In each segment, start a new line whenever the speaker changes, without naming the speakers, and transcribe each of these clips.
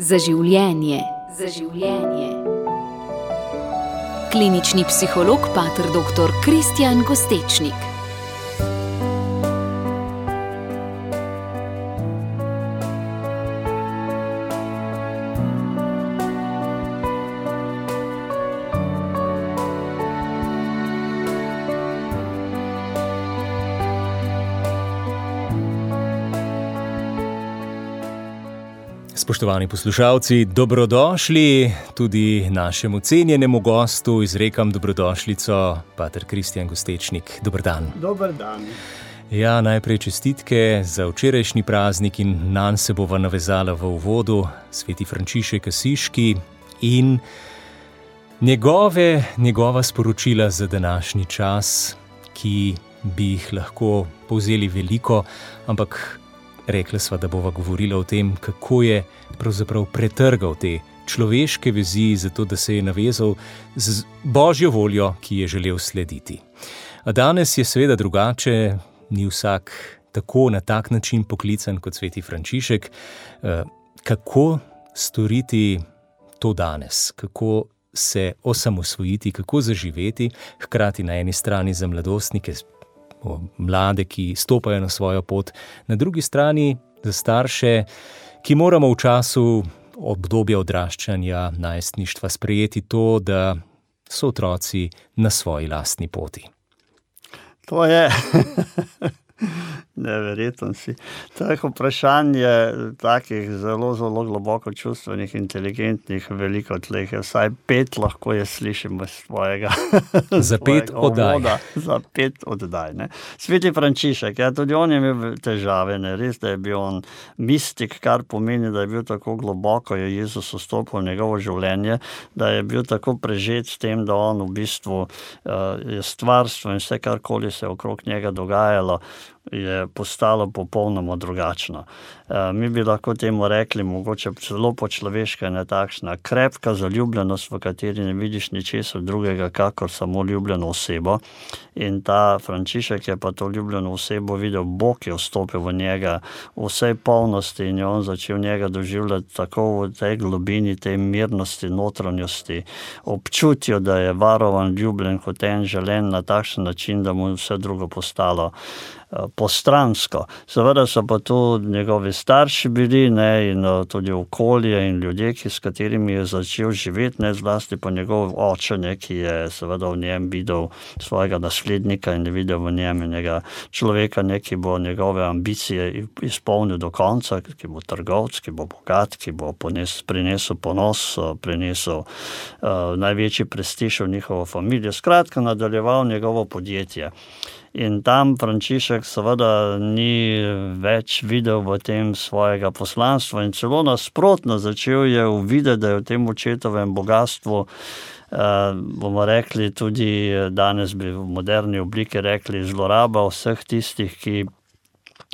Za življenje. Za življenje. Klinični psiholog pater dr. Kristjan Gostečnik.
Spoštovani poslušalci, dobrodošli tudi našemu cenjenemu gostu. Izrekam dobrodošlico, pater Kristjan Gostečnik. Dober dan.
Dober dan.
Ja, najprej čestitke za včerajšnji praznik in nanj se bova navezala v uvodu sveti Frančišek Asiški in njegova sporočila za današnji čas, ki bi jih lahko povzeli veliko, ampak rekla sva, da bova govorila o tem, kako je pravzaprav pretrgal te človeške vezi, zato da se je navezal z Božjo voljo, ki je želel slediti. A danes je seveda drugače, ni vsak tako na tak način poklican kot sveti Frančišek. Kako storiti to danes? Kako se osamosvojiti, kako zaživeti, hkrati na eni strani za mladostnike, mlade, ki stopajo na svojo pot, na drugi strani za starše, ki moramo v času obdobja odraščanja, najstništva sprejeti to, da so otroci na svoji lastni poti.
To je neverjetno si. To je vprašanje takih zelo, zelo globoko čustvenih, inteligentnih, veliko tleh. Vsaj 5 lahko je slišimo svojega.
Za 5 oddaj.
Za 5 oddaj. Ne? Sveti Frančišek, tudi on je imel težave, ne? Res, da je bil on mistik, kar pomeni, da je bil tako globoko, je Jezus vstopil v njegovo življenje, da je bil tako prežet s tem, da on v bistvu je stvarstvo in vse, karkoli se je okrog njega dogajalo, je postalo popolnoma drugačno. Mi bi lahko temu rekli, mogoče celo po človeška je takšna krepka zaljubljenost, v kateri ne vidiš ničesar drugega, kakor samo ljubljeno osebo. In ta Frančišek je pa to ljubljeno osebo videl, Bog je vstopil v njega v vsej polnosti in je on začel njega doživljati tako v tej globini, tej mirnosti, notranjosti, občutju, da je varovan, ljubljen, hoten, želen na takšen način, da mu vse drugo postalo postransko. Seveda so pa tu njegovi starši bili, ne, in tudi okolje in ljudje, s katerimi je začel živeti, ne, zlasti pa njegov oče, ne, ki je seveda v njem videl svojega naslednika in je videl v njem njega človeka, ne, ki bo njegove ambicije izpolnil do konca, ki bo trgovec, ki bo bogat, ki bo prinesel ponos, prinesel največji prestiž v njihovo familijo. Skratka, nadaljeval njegovo podjetje. In tam Frančišek seveda ni več videl v tem svojega poslanstva in celo nasprotno začel je uvideti, da je v tem očetovem bogatstvu, bomo rekli tudi danes bi v moderni obliki rekli zloraba vseh tistih, ki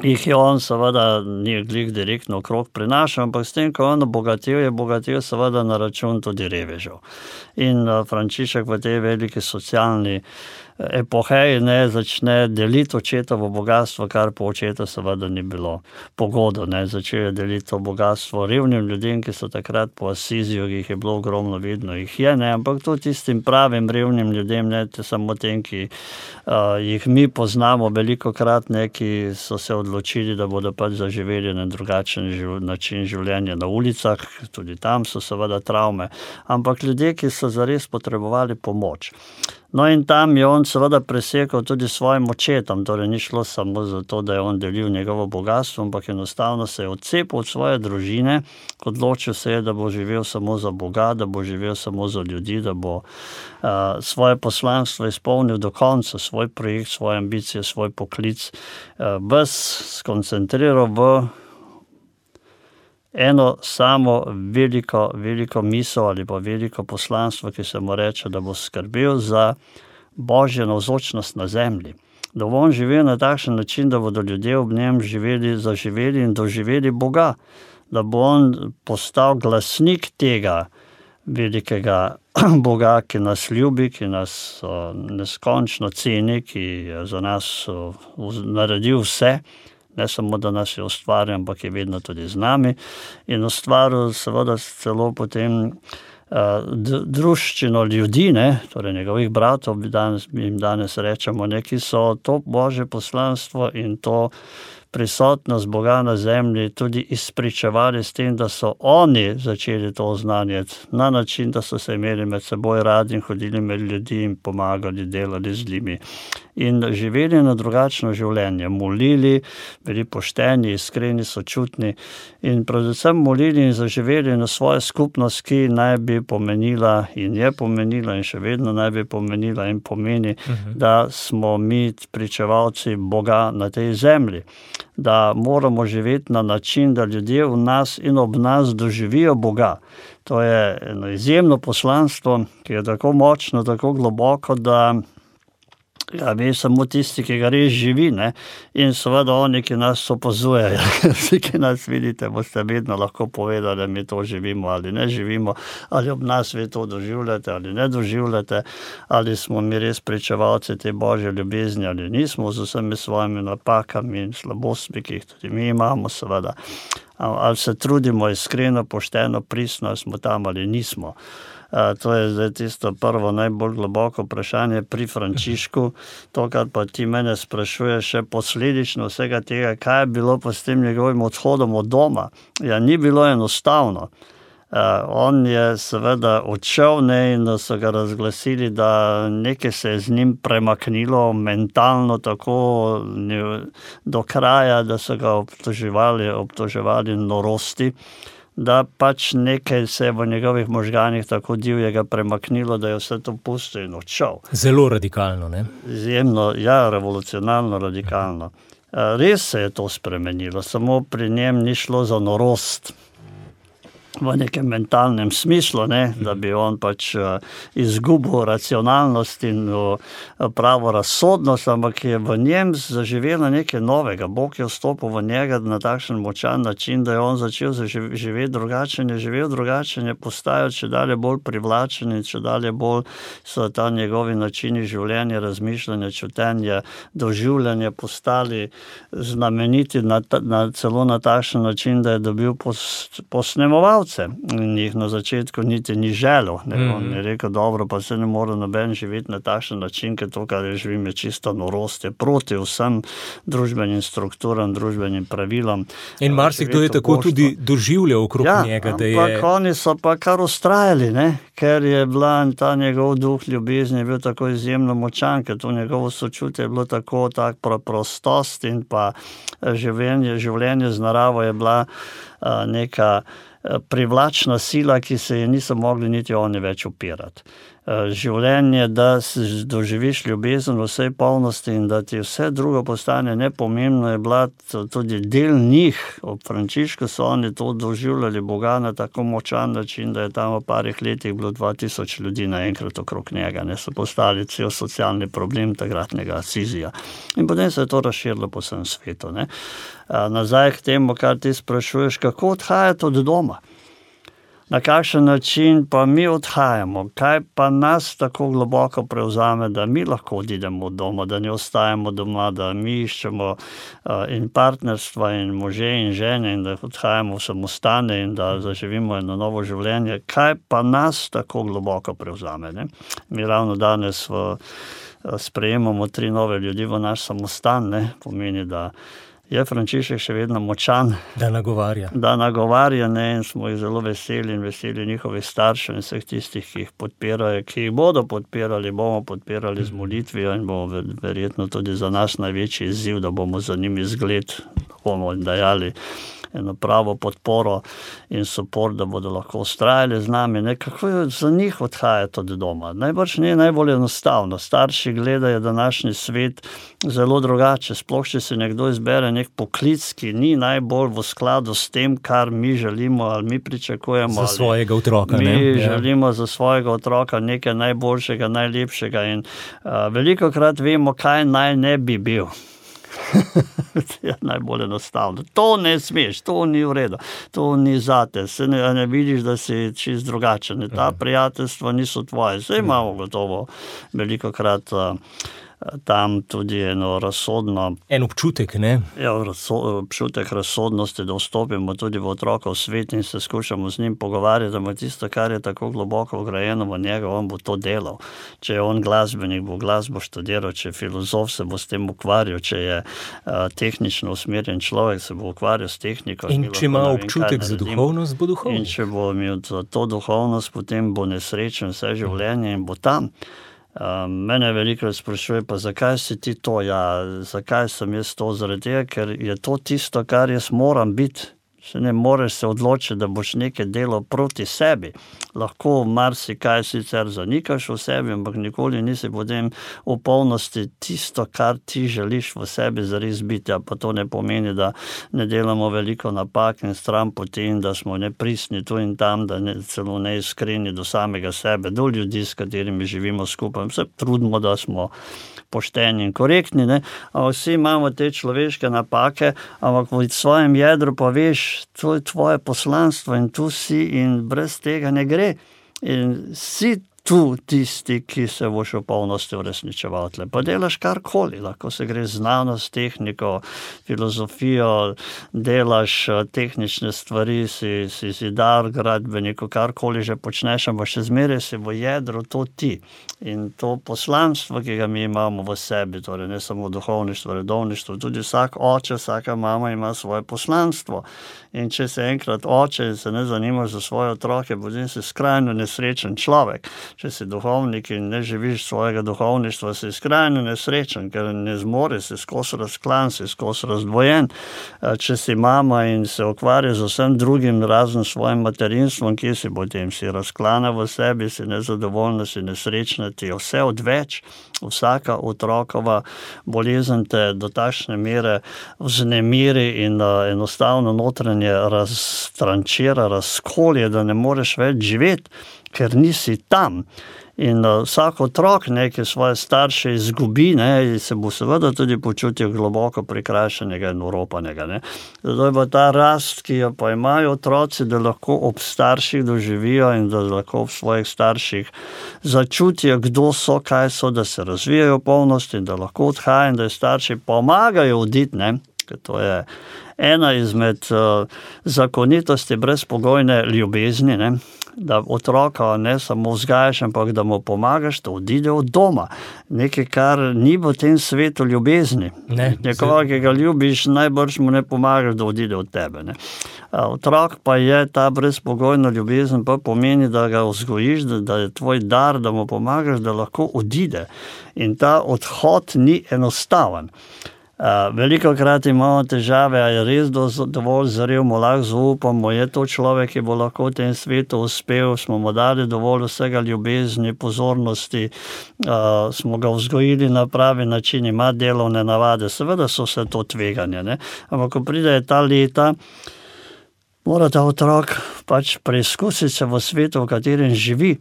jih je on seveda ni glih direktno okrog prinašal, ampak s tem, ko on je bogatil seveda na račun tudi revežev. In Frančišek v tej veliki socialni epoheji ne začne deliti očetovo bogatstvo, kar po očetu seveda ni bilo pogodo. Ne. Začel je deliti to bogatstvo revnim ljudem, ki so takrat po Asiziju, jih je bilo ogromno, vedno jih je, ne. Ampak to tistim pravim revnim ljudem, ne samo tem, ki jih mi poznamo velikokrat, ne, ki so se odločili, da bodo pač zaživeli na drugačen način življenja na ulicah, tudi tam so seveda travme, ampak ljudje, ki so zares potrebovali pomoč. No in tam je on seveda presekal tudi svojim očetom, torej ni šlo samo za to, da je on delil njegovo bogatstvo, ampak enostavno se je odcepil od svoje družine, odločil se je, da bo živel samo za Boga, da bo živel samo za ljudi, da bo svoje poslanstvo izpolnil do konca, svoj projekt, svoje ambicije, svoj poklic, ves skoncentriral v eno samo veliko misel ali pa veliko poslanstvo, ki se mu reče, da bo skrbel za Božjo navzočnost na zemlji. Da bo on živel na takšen način, da bodo ljudje ob njem zaživeli in doživeli Boga. Da bo on postal glasnik tega velikega Boga, ki nas ljubi, ki nas neskončno ceni, ki je za nas naredil vse, Ne samo, da nas je ustvaril, ampak je vedno tudi z nami in ustvaril seveda celo potem druščino ljudi, ne, torej njegovih bratov, jim danes rečemo, ne, ki so to Božje poslanstvo in to prisotnost Boga na zemlji tudi izpričevali s tem, da so oni začeli to oznanjati na način, da so se imeli med seboj radi in hodili med ljudi in pomagali, delali z njimi. In živeli na drugačno življenje, molili, bili pošteni, iskreni, sočutni in predvsem molili in zaživeli na svojo skupnost, ki naj bi pomenila in je pomenila in še vedno naj bi pomenila in pomeni, da smo mi pričevalci Boga na tej zemlji. Da moramo živeti na način, da ljudje v nas in ob nas doživijo Boga. To je eno izjemno poslanstvo, ki je tako močno, tako globoko, da ga ve samo tisti, ki ga res živi, ne? In seveda oni, ki nas opazujejo. Vsi, ki nas vidite, boste vedno lahko povedali, da mi to živimo ali ne živimo, ali ob nas vi to doživljate ali ne doživljate, ali smo mi res pričevalci te Božje ljubezni ali nismo z vsemi svojimi napakami in slabostmi, ki jih tudi mi imamo, seveda. Ali se trudimo iskreno, pošteno, pristno, ali smo tam ali nismo. To je zdaj tisto prvo najbolj globoko vprašanje pri Frančišku. To, kar pa ti mene sprašuješ še posledično vsega tega, kaj je bilo pa s tem njegovim odhodom od doma. Ja, ni bilo enostavno. On je seveda odšel, ne, in so ga razglasili, da nekaj se je z njim premaknilo mentalno tako do kraja, da so ga obtoževali norosti, da pač nekaj se je v njegovih možganih tako divjega premaknilo, da je vse to pustil in odšel.
Zelo radikalno, ne?
Izjemno, ja, revolucionarno radikalno. Res se je to spremenilo, samo pri njem ni šlo za norost v nekem mentalnem smislu, ne, da bi on pač izgubil racionalnost in pravo razsodnost, ampak je v njem zaživelo nekaj novega. Bog je vstopil v njega na takšen močan način, da je on začel živeti drugačen, je živel drugačen, je postajal čedalje bolj privlačen in čedalje bolj so ta njegovi načini življenja, razmišljanja, čutenja, doživljanja postali znameniti celo na takšen način, da je dobil posnemovalce. In jih na začetku niti ni želel. On je rekel, dobro, pa se ne more noben živeti na takšen način, ker to, kar je živim, je čisto norost, je proti vsem družbenim strukturam, družbenim pravilom.
In marsikdo je tako tudi doživljal okrog njega, da je...
Ja, ampak oni so pa kar ustrajali, ne? Ker je bila ta njegov duh ljubezni je bil tako izjemno močan, ker to njegovo sočutje je bilo tako prostost in pa življenje z naravo je bila neka privlačna sila, ki se je niso mogli niti oni več upirati. Življenje, da doživiš ljubezen v vsej polnosti in da ti vse drugo postane nepomembno, je bila tudi del njih. Ob Frančišku so oni to doživljali Boga na tako močan način, da je tam v parih letih bilo 2000 ljudi naenkrat okrog njega. Ne, so postali cel socialni problem takratnega Asizija. In potem se je to razširilo po vsem svetu. Ne. Nazaj k temu, kar ti sprašuješ, kako odhajati od doma. Na kakšen način pa mi odhajamo, kaj pa nas tako globoko prevzame, da mi lahko odidemo od doma, da ne ostajamo doma, da mi iščemo in partnerstva in može in žene in da odhajamo v samostane in da zaživimo eno novo življenje. Kaj pa nas tako globoko prevzame? Ne? Mi ravno danes sprejemamo 3 nove ljudi v naš samostan, ne? Pomeni, da je Frančišek še vedno močan.
Da nagovarja.
Da nagovarja, ne, in smo jih zelo veseli in veseli njihovih staršev in vseh tistih, ki jih podpirajo, ki jih bomo podpirali z molitvijo in bomo verjetno tudi za nas največji izziv, da bomo za njimi zgled, bomo dajali eno pravo podporo in suport, da bodo lahko ustrajali z nami. Ne? Kako je za njih odhajati od doma? Najbrž ni najbolj enostavno. Starši gledajo današnji svet zelo drugače. Sploh, če se nekdo izbere nek poklic, ki ni najbolj v skladu s tem, kar mi želimo ali mi pričakujemo.
Za svojega otroka.
Mi želimo za svojega otroka nekaj najboljšega, najlepšega in velikokrat vemo, kaj naj ne bi bil. Je najbolj enostavno. To ne smeš, to ni v redu, to ni zate, se ne vidiš, da si čist drugačen. Ta prijateljstva niso tvoje. Zdaj imamo gotovo velikokrat tam tudi eno razsodno...
En občutek, ne?
Ja, občutek razsodnosti, da vstopimo tudi v otrokov svet in se skušamo z njim pogovarjati, da tisto, kar je tako globoko vgrajeno v njega, on bo to delal. Če je on glasbenik, bo glasbo študiral, če je filozof, se bo s tem ukvarjal, če je tehnično usmerjen človek, se bo ukvarjal s tehniko.
In če ima občutek za duhovnost, bo duhovnik.
In če bo imel za to duhovnost, potem bo nesrečen vse življenje in bo tam. Mene veliko sprašuje, pa zakaj si ti to? Ja, zakaj sem jaz to? Zaradi tega, ker je to tisto, kar jaz moram biti. Se ne moreš se odločiti, da boš nekaj delal proti sebi. Lahko marsikaj sicer zanikaš v sebi, ampak nikoli nisi potem v polnosti tisto, kar ti želiš v sebi zares biti. Pa to ne pomeni, da ne delamo veliko napak in stran poti in da smo nepristni tu in tam, da celo neiskreni do samega sebe, do ljudi, s katerimi živimo skupaj. Se trudimo, da smo pošteni in korektni, ne? Vsi imamo te človeške napake, ampak v svojem jedru pa veš, to je tvoje poslanstvo in tu si in brez tega ne gre. In si tu tisti, ki se boš v polnosti uresničeval. Pa delaš karkoli, lahko se gre znanost, tehniko, filozofijo, delaš tehnične stvari, si zidar, gradbenik, karkoli že počneš, ampak še zmeraj si v jedru to ti. In to poslanstvo, ki ga mi imamo v sebi, torej ne samo duhovništvo, redovništvo, tudi vsak oče, vsaka mama ima svoje poslanstvo. In če se enkrat oče in se ne zanimaš za svoje otroke, potem si skrajno nesrečen človek. Če si duhovnik in ne živiš svojega duhovništva, si skrajno nesrečen, ker ne zmore, si skozi razklan, si skozi razdvojen. Če si mama in se ukvarja z vsem drugim, razen svojim materinstvom, kje si potem? Si razklana v sebi, si nezadovoljna, si nesrečna, ti je vse odveč. Vsaka otrokova bolezen te do takšne mere vznemiri in enostavno notranje raztrančira, razkolje, da ne moreš več živeti, ker nisi tam. In vsak otrok nekaj svoje starše izgubi, ne, in se bo seveda tudi počutil globoko prikrajšanega in oropanega. Ne. Zato je pa ta rast, ki jo pa imajo otroci, da lahko ob starših doživijo in da lahko ob svojih starših začutijo, kdo so, kaj so, da se razvijajo v polnosti in da lahko odhajajo in da starši pomagajo oditi, ne, ker to je ena izmed zakonitosti brezpogojne ljubezni, ne, da otroka ne samo vzgajaš, ampak da mu pomagaš, da odide od doma. Nekaj, kar ni v tem svetu ljubezni. Nekoga, ki ga ljubiš, najbrž mu ne pomagaš, da odide od tebe. Ne. Otrok pa je ta brezpogojna ljubezen, pa pomeni, da ga vzgojiš, da je tvoj dar, da mu pomagaš, da lahko odide. In ta odhod ni enostaven. Veliko krat imamo težave, a je res dovolj zrel, mu lahko zaupamo, je to človek, ki bo lahko v tem svetu uspel, smo mu dali dovolj vsega ljubezni, pozornosti, smo ga vzgojili na pravi način, ima delovne navade, seveda so vse to tveganje, ne? Ampak ko pride ta leta, mora ta otrok pač preizkusiti se v svetu, v katerem živi.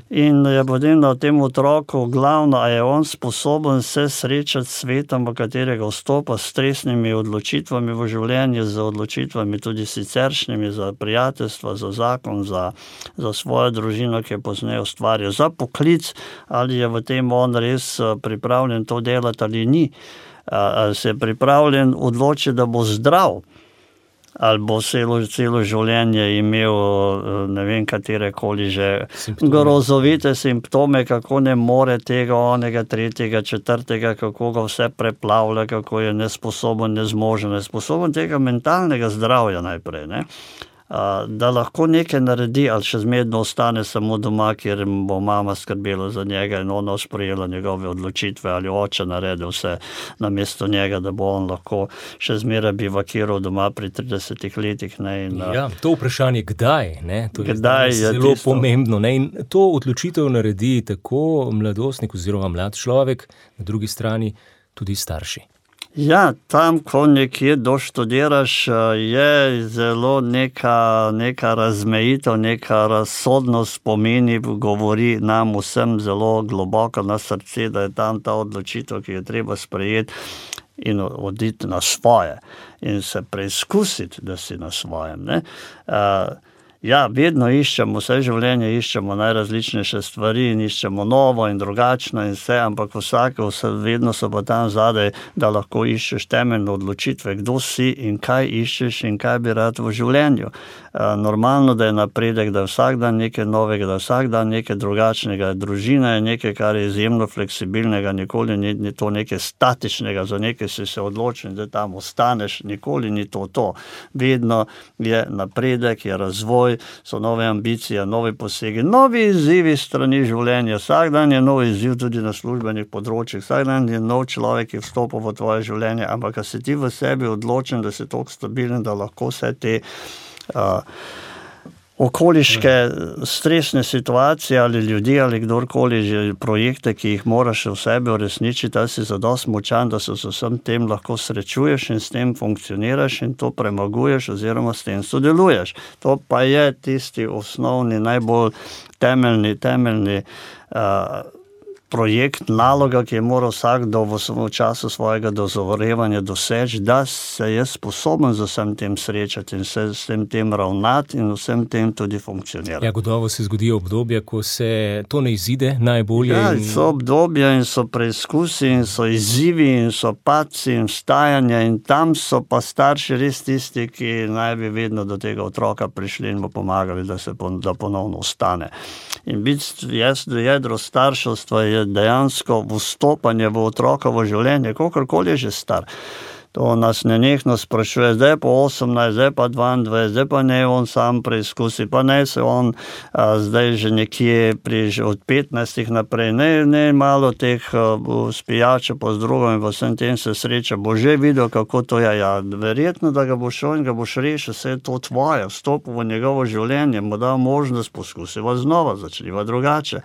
In je potem na tem otroku glavno, a je on sposoben se srečati s svetom, v katerega vstopa, s stresnimi odločitvami v življenju, z odločitvami tudi siceršnjimi, za prijateljstva, za zakon, za svojo družino, ki je pozneje ustvarja, za poklic, ali je v tem on res pripravljen to delati ali ni. Ali se je pripravljen odločiti, da bo zdrav, ali bo celo življenje imel ne vem katerekoli že grozovite simptome, kako ne more tega, onega, tretjega, četrtega, kako ga vse preplavlja, kako je nesposoben, nezmožen, nesposoben tega mentalnega zdravja najprej, ne. Da lahko nekaj naredi, ali še zmerno ostane samo doma, kjer bo mama skrbela za njega in ona sprejela njegove odločitve, ali oče naredi vse namesto njega, da bo on lahko še zmeraj bivakiral doma pri 30 letih. Ne, in,
ja, to vprašanje kdaj, ne? To je zelo
tisto
pomembno. Ne? In to odločitev naredi tako mladostnik oziroma mlad človek, na drugi strani tudi starši.
Ja, tam, ko nekje doštudiraš, je zelo neka razmejitev, neka razsodnost pomeni, govori nam vsem zelo globoko na srce, da je tam ta odločitev, ki je treba sprejeti in oditi na svoje in se preizkusiti, da si na svojem. Ne? Ja, vedno iščemo, vse življenje iščemo najrazličnejše stvari in iščemo novo in drugačno in vse, ampak vedno so pa tam zadaj, da lahko iščeš temeljne odločitve, kdo si in kaj iščeš in kaj bi rad v življenju. Normalno, da je napredek, da je vsak dan nekaj novega, da je vsak dan nekaj drugačnega. Družina je nekaj, kar je izjemno fleksibilnega, nikoli ni to nekaj statičnega, za nekaj si se odločil, da tam ostaneš, nikoli ni to. Vedno je napredek, je razvoj, so nove ambicije, novi posegi, novi izzivi strani življenja. Vsak dan je nov izziv tudi na službenih področjih, vsak dan je nov človek, ki vstopa v tvoje življenje, ampak si ti v sebi odločen, da si toliko stabilen, da lahko vse te okoliške stresne situacije ali ljudi ali kdorkoli že projekte, ki jih moraš v sebi uresničiti, da si zadosti močan, da se z vsem tem lahko srečuješ in s tem funkcioniraš in to premaguješ oziroma s tem sodeluješ. To pa je tisti osnovni, najbolj temeljni projekt, naloga, ki je moral vsakdo v času svojega dozorevanja doseči, da se je sposoben z vsem tem srečati in se s tem ravnati in vsem tem tudi funkcionirati.
Ja, gotovo se zgodijo obdobja, ko se to ne izide najbolje.
Ja, so obdobja in so preizkusi in so izzivi in so padci in vstajanja in tam so pa starši res tisti, ki naj bi vedno do tega otroka prišli in mu pomagali, da ponovno ostane. In jedro starševstva je dejansko vstopanje v otrokovo življenje, kolikor je že star. To nas nenehno sprašuje, zdaj pa 18, zdaj pa 22, zdaj pa ne on sam preizkusi, pa ne se on zdaj že nekje od 15 naprej, ne malo teh spijača pa z drugom in vsem tem se sreča, bo že videl, kako to je. Ja, verjetno, da ga boš šel in ga boš rešil, vse je to tvoje, vstopil v njegovo življenje, mu dal možnost, poskusiva znova, začniva drugače.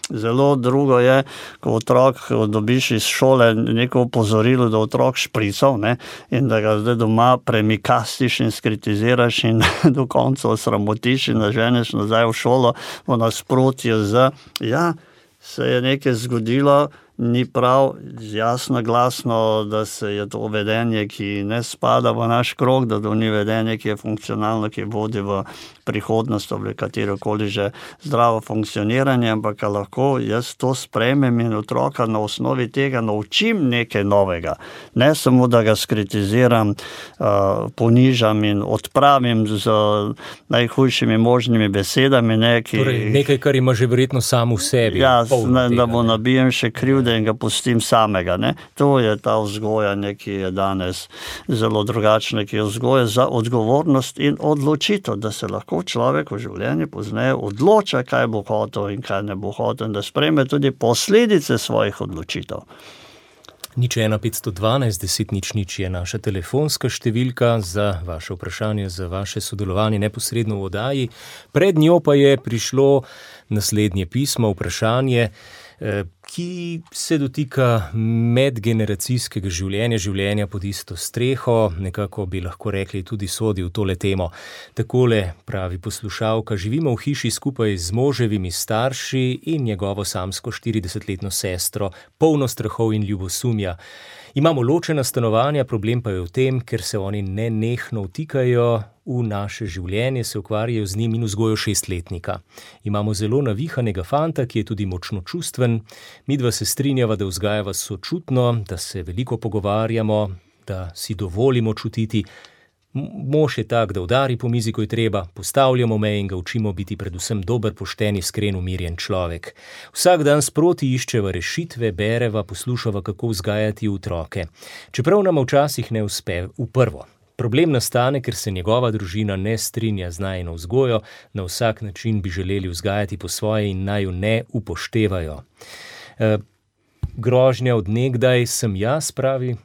Zelo drugo je, ko otrok dobiš iz šole neko opozorilo, da otrok šprical, ne, in da ga zdaj doma premikastiš in skritiziraš in do konca osramotiš in naženeš nazaj v šolo v nasprotju se je nekaj zgodilo, ni prav, jasno, glasno, da se je to vedenje, ki ne spada v naš krog, da to ni vedenje, ki je funkcionalno, ki vodi v prihodnost, v katerokoli že zdravo funkcioniranje, ampak lahko jaz to sprejmem in otroka na osnovi tega naučim nekaj novega. Ne samo, da ga skritiziram, ponižam in odpravim z najhujšimi možnimi besedami.
Torej, nekaj, kar ima že verjetno sam v sebi.
Ja, da bo nabijem še krivde in ga pustim samega. Ne? To je ta vzgoja, ki je danes zelo drugačna, ki je vzgoja za odgovornost in odločitev, da se lahko človek v življenju pozneje odloča, kaj bo hotel in kaj ne bo hotel, da sprejme tudi posledice svojih odločitev.
01512 10 00 je naša telefonska številka za vaše vprašanje, za vaše sodelovanje neposredno v oddaji. Pred njo pa je prišlo naslednje pismo, vprašanje, ki se dotika medgeneracijskega življenja pod isto streho, nekako bi lahko rekli tudi sodi v tole temo. Takole pravi poslušalka: živimo v hiši skupaj z moževimi starši in njegovo samsko 40-letno sestro, polno strahov in ljubosumja. Imamo ločena stanovanja, problem pa je v tem, ker se oni nenehno vtikajo v naše življenje, se ukvarjajo z njim in vzgojo 6-letnika. Imamo zelo navihanega fanta, ki je tudi močno čustven. Midva se strinjava, da vzgajava sočutno, da se veliko pogovarjamo, da si dovolimo čutiti. Mož je tak, da udari po mizi, ko je treba, postavljamo meje in ga učimo biti predvsem dober, pošten, iskren, umirjen človek. Vsak dan sproti iščeva rešitve, bereva, poslušava, kako vzgajati otroke. Čeprav nam včasih ne uspe v prvo. Problem nastane, ker se njegova družina ne strinja z najino vzgojo, na vsak način bi želeli vzgajati po svoje in naj jo ne upoštevajo. Grožnja od nekdaj sem jaz, pravi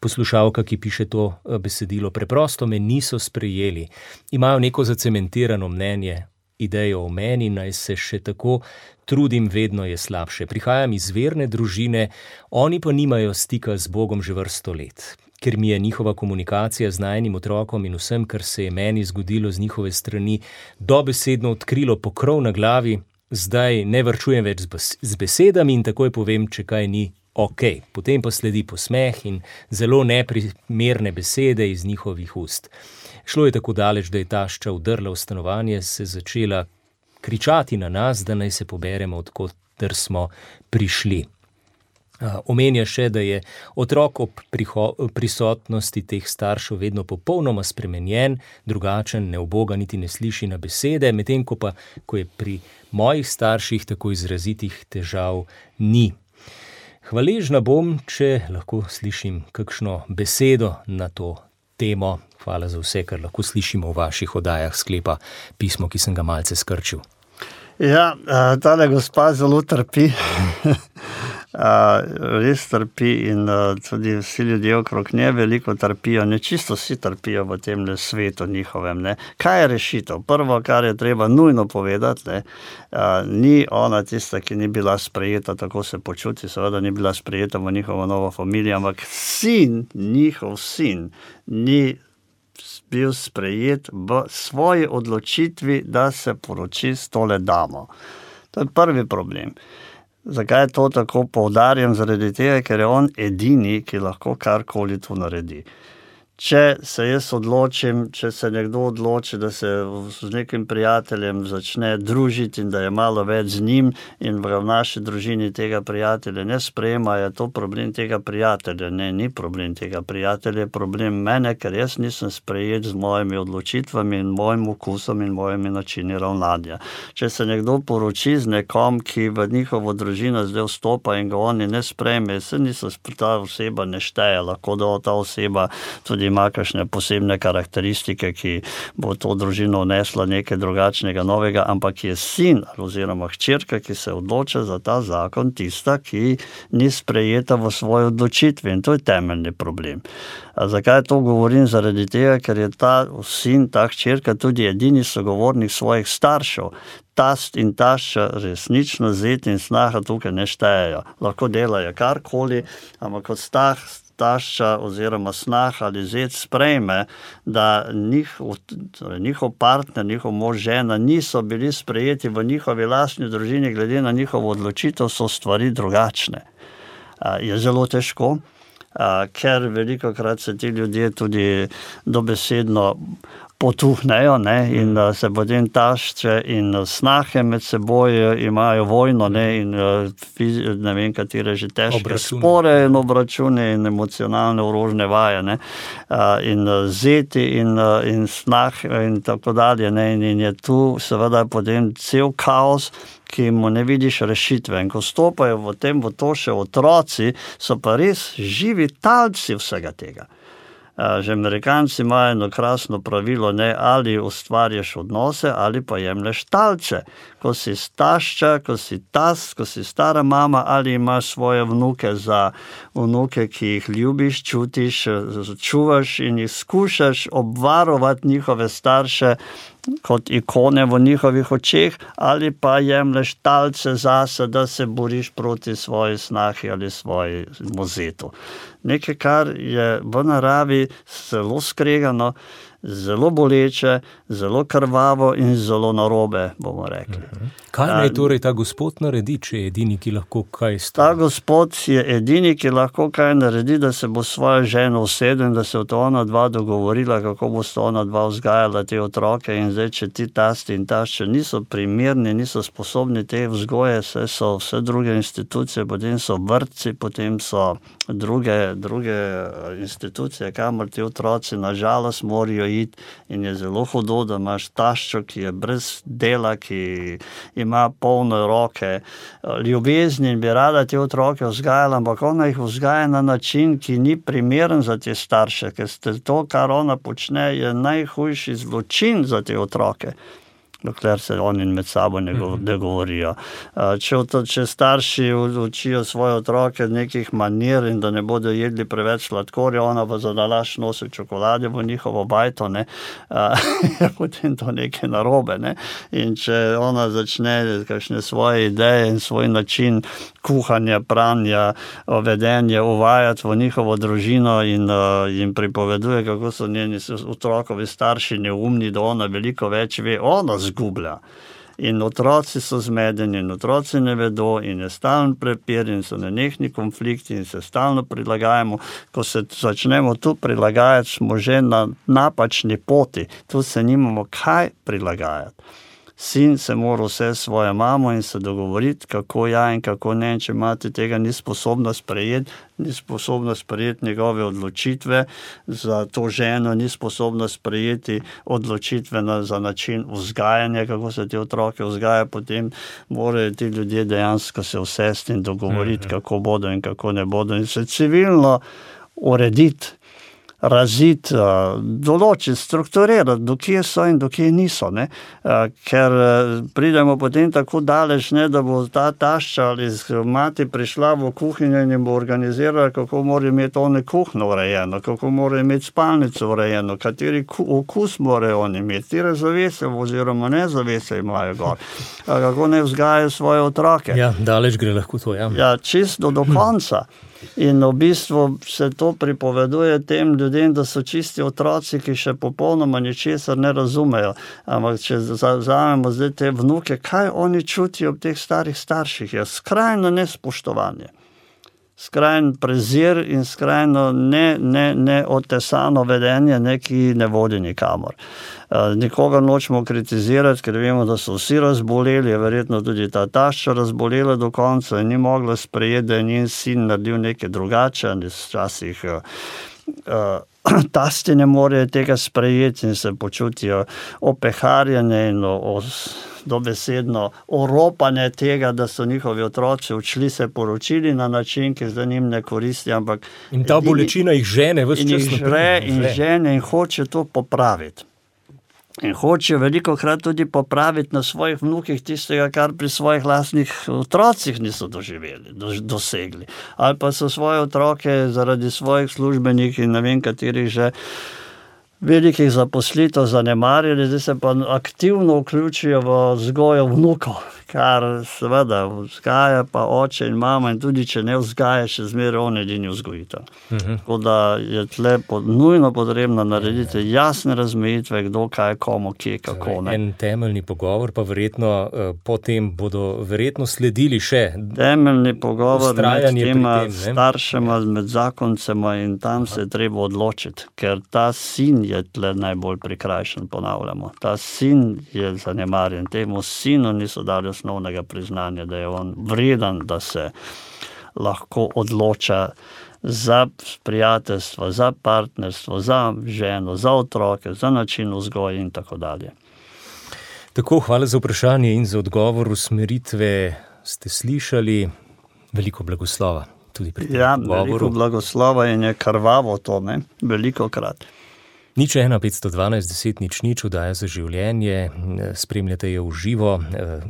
poslušalka, ki piše to besedilo. Preprosto me niso sprejeli. Imajo neko zacementirano mnenje, idejo o meni, naj se še tako trudim, vedno je slabše. Prihajam iz verne družine, oni pa nimajo stika z Bogom že vrsto let. Ker mi je njihova komunikacija z najinim otrokom in vsem, kar se je meni zgodilo z njihove strani, dobesedno odkrilo pokrov na glavi, zdaj ne varčujem več z besedami in takoj povem, če kaj ni ok, potem pa sledi posmeh in zelo neprimerne besede iz njihovih ust. Šlo je tako daleč, da je tašča vdrla v stanovanje, se začela kričati na nas, da naj se poberemo, odkoter smo prišli. Omenja še, da je otrok ob prisotnosti teh staršev vedno popolnoma spremenjen, drugačen, neuboga, niti ne sliši na besede, medtem ko pa, ko je pri mojih starših tako izrazitih težav ni. Hvaležna bom, če lahko slišim kakšno besedo na to temo. Hvala za vse, kar lahko slišimo v vaših oddajah, sklepa pismo, ki sem ga malce skrčil.
Ja, tale gospa zelo trpi. Res trpi in tudi vsi ljudje okrog nje veliko trpijo, ne čisto vsi trpijo v tem svetu njihovem. Ne. Kaj je rešitev? Prvo, kar je treba nujno povedati, ne, ni ona tista, ki ni bila sprejeta, tako se počuti, seveda ni bila sprejeta v njihovo novo familijo, ampak njihov sin, ni bil sprejet v svoji odločitvi, da se poroči s tole damo. To je prvi problem. Zakaj to tako poudarjam? Zaradi tega, ker je on edini, ki lahko karkoli to naredi. Če se jaz odločim, če se nekdo odloči, da se z nekim prijateljem začne družiti in da je malo več z njim in v naši družini tega prijatelja ne sprejema, je to problem tega prijatelja. Ne, ni problem tega prijatelja, je problem mene, ker jaz nisem sprejet z mojimi odločitvami in mojim okusom in mojimi načini ravnanja. Če se nekdo poroči z nekom, ki v njihovo družino zdaj vstopa in ga oni ne sprejme, ta oseba ne šteje, lahko da ta oseba tudi ima kakšne posebne karakteristike, ki bo to družino vnesla nekaj drugačnega, novega, ampak je sin oziroma hčerka, ki se odloča za ta zakon, tista, ki ni sprejeta v svoji odločitvi in to je temeljni problem. Zakaj to govorim? Zaradi tega, ker je ta sin, ta hčerka tudi edini sogovornik svojih staršev. Tast in tašča resnično zet in snaha tukaj ne štejejo. Lahko delajo karkoli, ampak kot tašča oziroma snah ali zet sprejme, da njihov partner, njihov mož, žena niso bili sprejeti v njihovi lastni družini, glede na njihovo odločitev so stvari drugačne. Je zelo težko, ker velikokrat se ti ljudje tudi dobesedno potuhnejo, ne, in se potem tašče in snahe med seboj imajo vojno, ne, in ne vem, katere že težke spore in obračune in emocionalne orožne vaje, ne, in zeti in snah in tako dalje, ne, in je tu seveda potem cel kaos, ki mu ne vidiš rešitve. In ko stopajo v to še otroci, so pa res živi talci vsega tega. Že Amerikanci imajo eno krasno pravilo, ne, ali ustvarjaš odnose, ali pa jemlješ talce. Ko si tašča, ko si tast, ko si stara mama, ali imaš svoje vnuke za vnuke, ki jih ljubiš, čutiš, čuvaš in jih skušaš obvarovati njihove starše kot ikone v njihovih očeh, ali pa jemlješ talce zase, da se boriš proti svoji snahi ali svoji mozetu. Nekaj, kar je v naravi zelo skregano, zelo boleče, zelo krvavo in zelo narobe, bomo rekli.
Kaj naj torej ta gospod naredi, če je edini, ki lahko kaj stori?
Ta gospod je edini, ki lahko kaj naredi, da se bo svojo ženo usedel in da se ona dva dogovorila, kako bo sta ona dva vzgajala te otroke. In zdaj, če ti tasti in tašče niso primerni, niso sposobni te vzgoje, so vse druge institucije, potem so vrtci, potem so druge institucije, kamor ti otroci nažalost morajo iti, in je zelo hudo, da imaš taščo, ki je brez dela, ki ima polne roke ljubezni in bi rada te otroke vzgajala, ampak ona jih vzgaja na način, ki ni primeren za te starše, ker to, kar ona počne, je najhujši zločin za te otroke, dokler se oni med sabo ne govorijo. Če starši učijo svoje otroke nekih manir in da ne bodo jedli preveč sladkorja, ona pa za nalašč nosi čokolade v njihovo bajto, ne, je potem to nekaj narobe. Ne. In če ona začne kakšne svoje ideje in svoj način kuhanja, pranja, vedenja uvajati v njihovo družino in jim pripoveduje, kako so njeni otrokovi starši neumni, da ona veliko več ve, ona zgublja. In otroci so zmedeni, in otroci ne vedo, in je stalen prepir, in so nenehni konflikti, in se stalno prilagajamo. Ko se začnemo tu prilagajati, smo že na napačni poti. Tu se nimamo kaj prilagajati. Sin se mora vse svojo mamo in se dogovoriti, kako ja in kako ne. Če mati tega ni sposobna sprejeti njegove odločitve za to ženo, ni sposobna sprejeti odločitve za način vzgajanja, kako se te otroke vzgaja, potem morajo ti ljudje dejansko se usesti in dogovoriti, kako bodo in kako ne bodo. In se civilno urediti, raziti, določiti, strukturirati, do kje so in do kje niso. Ne? Ker pridemo potem tako daleč, ne, da bo ta tašča ali mati prišla v kuhinjo in jim bo organizirala, kako mora imeti one kuhno urejeno, kako mora imeti spalnico urejeno, kateri okus morajo oni imeti, tire zavese oziroma ne zavese imajo gor, kako ne vzgajajo svoje otroke.
Ja, daleč gre lahko to, ja.
Ja, čisto do konca. In v bistvu se to pripoveduje tem ljudem, da so čisti otroci, ki še popolnoma ničesar ne razumejo. Ampak če vzamemo zdaj te vnuke, kaj oni čutijo ob teh starih starših? Je skrajno nespoštovanje, skrajen prezir in skrajno neotesano vedenje, ki ne vodi nikamor. Nikoga nočemo kritizirati, ker vemo, da so vsi razboleli, je verjetno tudi ta tašča razbolela do konca in ni mogla sprejeti, da je njen sin naredil nekaj drugače, včasih tasti ne morejo tega sprejeti in se počutijo opeharjene in dobesedno oropane tega, da so njihovi otroci odšli se poročili na način, ki zdaj njim ne koristi, ampak...
In ta bolečina jih žene ves čas naprej.
In žene in hoče to popraviti. In hočejo velikokrat tudi popraviti na svojih vnukih tistega, kar pri svojih lastnih otrocih niso dosegli. Ali pa so svoje otroke zaradi svojih službenih in ne vem katerih že velikih zaposlitev zanemarili, zdaj se pa aktivno vključijo v vzgojo vnukov, kar seveda vzgaja pa oče in mama in tudi če ne vzgaja, še zmeraj on edini vzgojitelj. Tako da je tle nujno potrebno narediti jasne razmejitve, kdo kaj, komu, kje, kako. Ne.
En temeljni pogovor, pa verjetno potem bodo verjetno sledili še
temeljni pogovor med tema
staršema,
med zakoncema in tam se je treba odločiti, ker ta sin je tle najbolj prikrajšan, ponavljamo. Ta sin je zanemarjen. Temu sinu niso dali osnovnega priznanja, da je on vreden, da se lahko odloča za prijateljstvo, za partnerstvo, za ženo, za otroke, za način vzgoje in tako dalje.
Tako, hvala za vprašanje in za odgovor. Usmeritve ste slišali. Veliko blagoslova tudi pri tem govoru.
Veliko blagoslova in je krvavo to, ne? Veliko krat.
015121000 oddaja za življenje, spremljate jo v živo.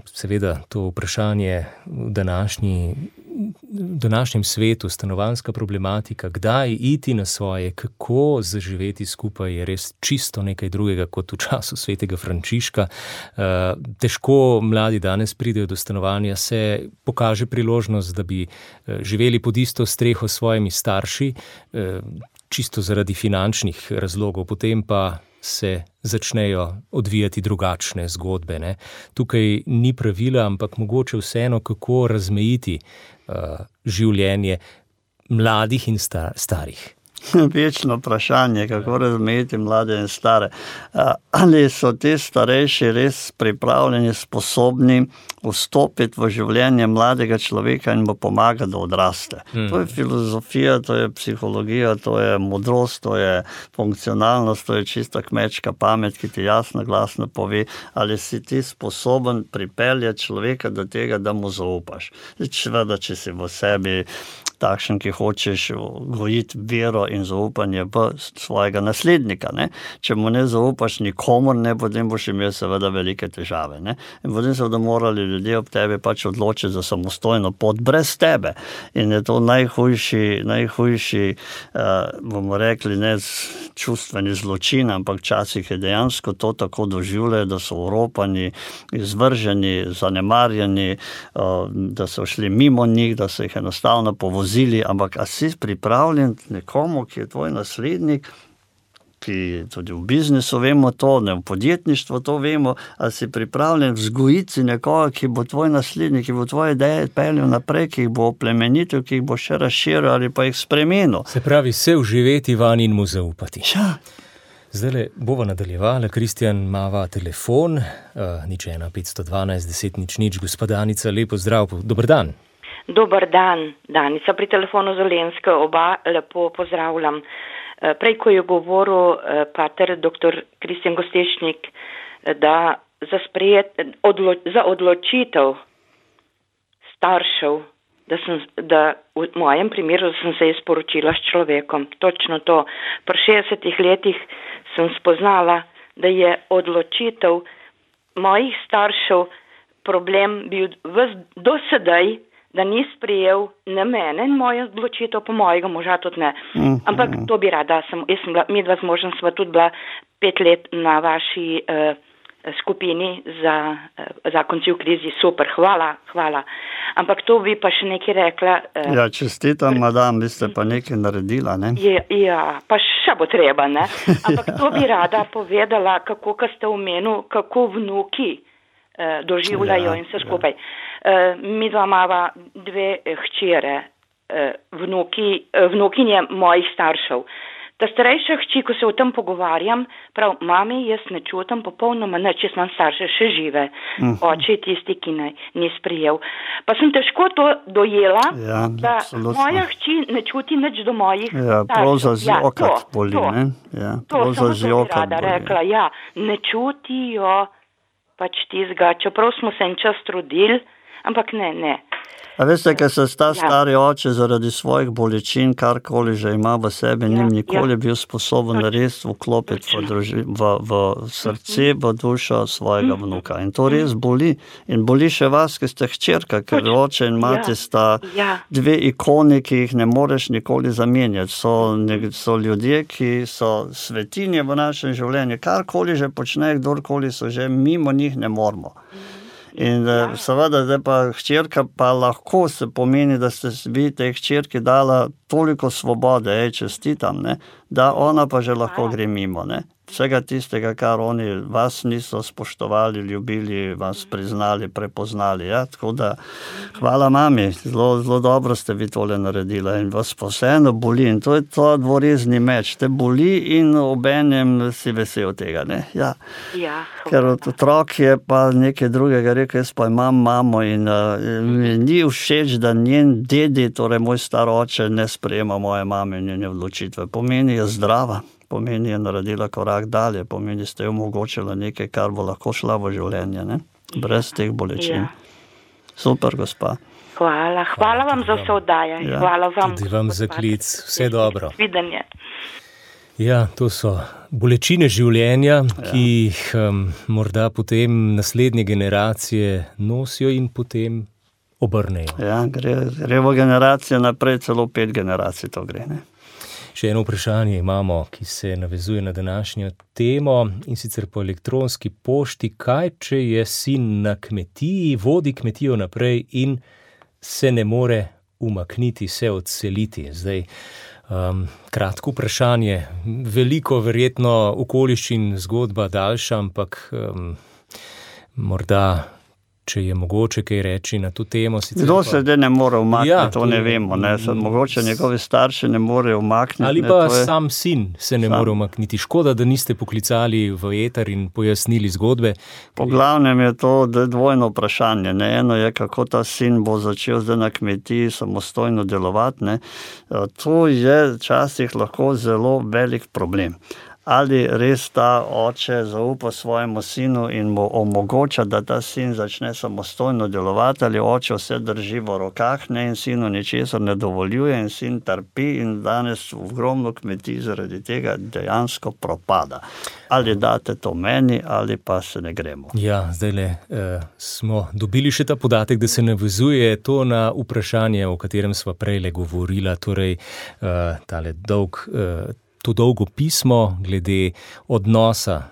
Seveda to vprašanje v današnjem svetu, stanovanjska problematika, kdaj iti na svoje, kako zaživeti skupaj, je res čisto nekaj drugega kot v času svetega Frančiška. Težko mladi danes pridejo do stanovanja, se pokaže priložnost, da bi živeli pod isto streho s svojimi starši, čisto zaradi finančnih razlogov, potem pa se začnejo odvijati drugačne zgodbe. Ne? Tukaj ni pravila, ampak mogoče vseeno, kako razmejiti življenje mladih in starih.
Večno vprašanje, kako razmejiti mlade in stare. Ali so te starejši res pripravljeni, sposobni vstopiti v življenje mladega človeka in mu pomagati, da odraste. To je filozofija, to je psihologija, to je modrost, to je funkcionalnost, to je čista kmečka pamet, ki ti jasno, glasno pove, ali si ti sposoben pripeljati človeka do tega, da mu zaupaš. Seveda, če si v sebi takšen, ki hočeš gojiti vero in zaupanje v svojega naslednika. Ne? Če mu ne zaupaš nikomor, ne, potem boš imel seveda velike težave. Ne? In potem seveda morali ljudje ob tebi pač odločiti za samostojno pot brez tebe. In je to najhujši bomo rekli, ne čustveni zločin, ampak včasih je dejansko to tako doživljajo, da so oropani, izvrženi, zanemarjeni, da so šli mimo njih, da so jih enostavno povozili, ampak a si pripravljen nekomu, ki je tvoj naslednik, ki tudi v biznisu vemo to, ne, v podjetništvu to vemo, ali si pripravljen vzgojiti nekoga, ki bo tvoj naslednik, ki bo tvoje ideje peljal naprej, ki jih bo oplemenitil, ki jih bo še razširil ali pa jih spremenil.
Se pravi, se vživeti van in mu zaupati.
Ja.
Zdajle bova nadaljevala, Kristjan mava telefon, 01512 10 00. Gospa Danica, lepo zdrav, dober dan.
Dober dan, Danica pri telefonu z Dolenjske, oba lepo pozdravljam. Prej, ko je govoril pater dr. Kristjan Gostešnik, da za odločitev staršev, da v mojem primeru sem se izporočila s človekom. Točno to. Pri 60 letih sem spoznala, da je odločitev mojih staršev problem bil do sedaj, da ni sprejel ne mene in mojo odločitev, po mojega moža tudi ne. Ampak to bi rada. Midva z možem sva tudi bila 5 let na vaši skupini za zakonci v krizi. Super, hvala. Ampak to bi pa še nekaj rekla.
Ja, čestitam, madam, vi ste pa nekaj naredila, ne?
Ja, pa še bo treba, ne? Ampak to bi rada povedala, kako ste omenil, kako vnuki doživljajo in vse skupaj. Mi dva imava 2 hčere, vnukinje mojih staršev. Ta starejša hči, ko se o tem pogovarjam, prav, mami, jaz ne čutim popolnoma nič, jaz imam starše še žive. Oče je tisti, ki ni sprejel. Pa sem težko to dojela, da moja hči ne čuti nič do mojih staršev.
Ja, prav za zjokat boli, ne? Ja, prav za zjokat boli.
Rekla, ja, ne čutijo pač tizga, čeprav smo se en čas trudili, ampak ne.
A veste, ker se ta stari oče zaradi svojih bolečin, karkoli že ima v sebi, njim nikoli bil sposoben res vklopiti v srce, v dušo svojega vnuka. In to res boli. In boli še vas, ki ste hčerka, ker oče in mati sta 2 ikoni, ki jih ne moreš nikoli zamenjati. So ljudje, ki so svetinje v našem življenju. Karkoli že počne, kdorkoli so že, mimo njih ne moramo. In seveda, zdaj pa hčerka pa lahko se pomeni, da ste vi tej hčerki dala toliko svobode, čestitam, ne, da ona pa že lahko gre mimo, ne. Vsega tistega, kar oni vas niso spoštovali, ljubili, vas priznali, prepoznali, ja, tako da hvala mami, zelo dobro ste vi tole naredila in vas pa vseeno boli in to je to dvorezni meč, te boli in obenem si vesel tega, ne, ja. Ker otrok je pa nekaj drugega rekel, jaz pa imam mamo in mi ni všeč, da njen dedi, torej moj star oče, ne sprejema moje mame in njene odločitve. Pomeni je zdrava. Pomeni je naredila korak dalje, pomeni ste jo omogočila nekaj, kar bo lahko šla v življenje, ne? Brez teh bolečin. Super, gospa.
Hvala vam za vse oddaje. Hvala vam.
Tudi vam za klic. Vse dobro.
Videnje.
Ja, to so bolečine življenja, ki jih morda potem naslednje generacije nosijo in potem obrnejo.
Ja, gre v generacijo naprej, celo 5 generacij to gre, ne?
Še eno vprašanje imamo, ki se navezuje na današnjo temo, in sicer po elektronski pošti. Kaj, če je sin na kmetiji, vodi kmetijo naprej in se ne more umakniti, se odseliti? Zdaj, kratko vprašanje, veliko verjetno okoliščin, zgodba daljša, ampak morda, če je mogoče kaj reči na to temo.
Kdo se zdaj ne more umakniti, to ne vemo. Ne? Mogoče njegovi starši ne morejo umakniti.
Ali pa sam sin se ne more umakniti. Škoda, da niste poklicali v eter in pojasnili zgodbe.
Po glavnem je to dvojno vprašanje. Ne? Eno je, kako ta sin bo začel zdaj na kmetiji samostojno delovati. Ne? To je včasih lahko zelo velik problem. Ali res ta oče zaupa svojemu sinu in mu omogoča, da ta sin začne samostojno delovati, ali oče vse drži v rokah, ne, in sinu ničesar ne dovoljuje in sin trpi in danes ogromno kmetij zaradi tega dejansko propada. Ali date to meni, ali pa se ne gremo.
Ja, zdajle smo dobili še ta podatek, da se navezuje to na vprašanje, o katerem sva prejle govorila, torej to dolgo pismo glede odnosa,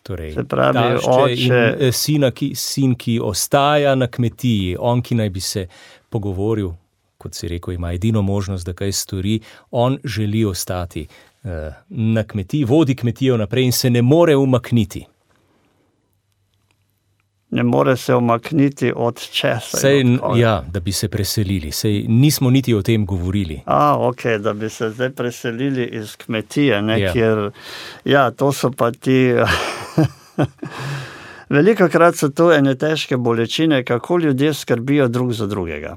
torej
se pravi,
oče in sin, ki ostaja na kmetiji, on, ki naj bi se pogovoril, kot si rekel, ima edino možnost, da kaj stori, on želi ostati na kmetiji, vodi kmetijo naprej in se ne more umakniti.
Ne more se umakniti od česa.
Da bi se preselili. Sej nismo niti o tem govorili.
Da bi se zdaj preselili iz kmetije, kjer, to so pa ti... Velikokrat so to ene težke bolečine, kako ljudje skrbijo drug za drugega.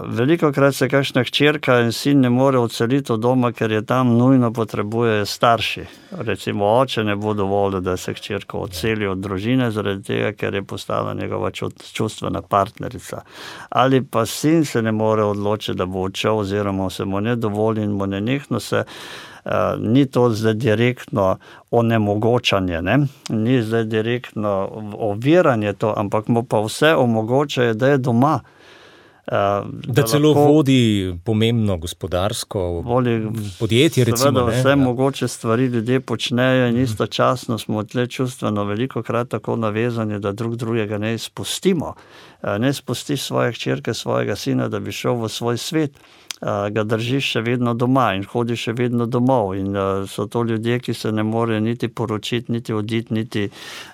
Velikokrat se kakšna hčerka in sin ne more odseliti od doma, ker je tam nujno potrebujejo starši. Recimo oče ne bo dovolil, da se hčerka odseli od družine, zaradi tega, ker je postala njegova čustvena partnerica. Ali pa sin se ne more odločiti, da bo odšel, oziroma se mu ne dovoli in mu nenehno se ni to zdaj direktno onemogočanje, ni zdaj direktno oviranje to, ampak mu pa vse omogočajo, da je doma.
Da celo vodi pomembno gospodarsko podjetje, recimo.
Vse mogoče stvari ljudje počnejo in istočasno smo tle čustveno velikokrat tako navezani, da drug drugega ne izpustimo. Ne spustiš svoje hčerke, svojega sina, da bi šel v svoj svet. Ga držiš še vedno doma in hodiš še vedno domov in so to ljudje, ki se ne morejo niti poročiti, niti oditi, niti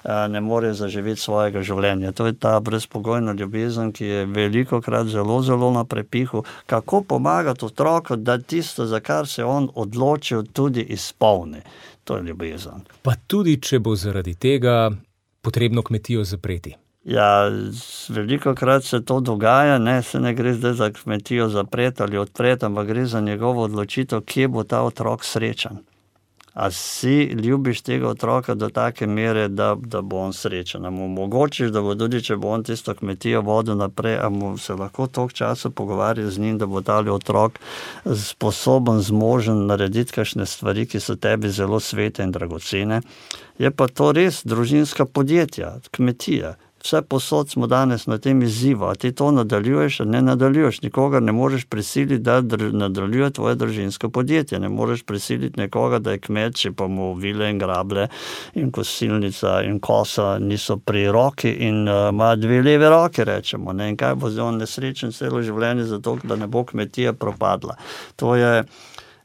ne morejo zaživeti svojega življenja. To je ta brezpogojna ljubezen, ki je velikokrat zelo, zelo na prepihu. Kako pomagati otroku, da tisto, za kar se on odločil, tudi izpolni. To je ljubezen.
Pa tudi, če bo zaradi tega potrebno kmetijo zapreti.
Velikokrat se to dogaja, se ne gre zdaj za kmetijo zapreti ali odpreti, ampak gre za njegovo odločitev, kje bo ta otrok srečen. A si ljubiš tega otroka do take mere, da bo on srečen. A mu omogočiš, da bo tudi, če bo on tisto kmetijo vodil naprej, a mu se lahko toliko časa pogovarja z njim, da bo tali otrok sposoben, zmožen narediti kakšne stvari, ki so tebi zelo svete in dragocene. Je pa to res družinska podjetja, kmetija. Vse posod smo danes na tem izzivu, a ti to nadaljuješ, a ne nadaljuješ. Nikogar ne moreš prisiliti, da nadaljuje tvoje družinsko podjetje. Ne moreš prisiliti nekoga, da je kmet, če pa mu vile in grable in kosilnica in kosa niso pri roki in ima 2 leve roke, rečemo. In kaj bo zdaj on nesrečen celo življenje zato, da ne bo kmetija propadla. To je...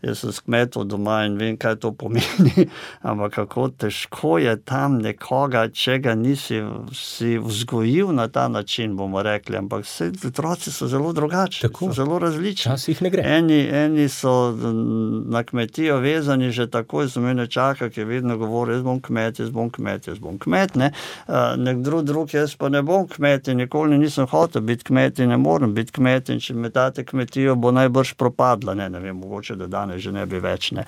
Jaz sem s kmetov doma in vem, kaj to pomeni, ampak kako težko je tam nekoga, če ga nisi si vzgojil na ta način, bomo rekli, ampak vse otroci so zelo drugačni, so zelo različni.
Časih ne gre.
Eni so na kmetijo vezani že takoj, za mene čaka, ki vedno govori, jaz bom kmet, ne. Nek drug, jaz pa ne bom kmet in nikoli nisem hotel biti kmet in ne morem biti kmet in če me tate kmetijo, bo najbrž propadla, ne vem, mogoče da danes že ne bi več, ne.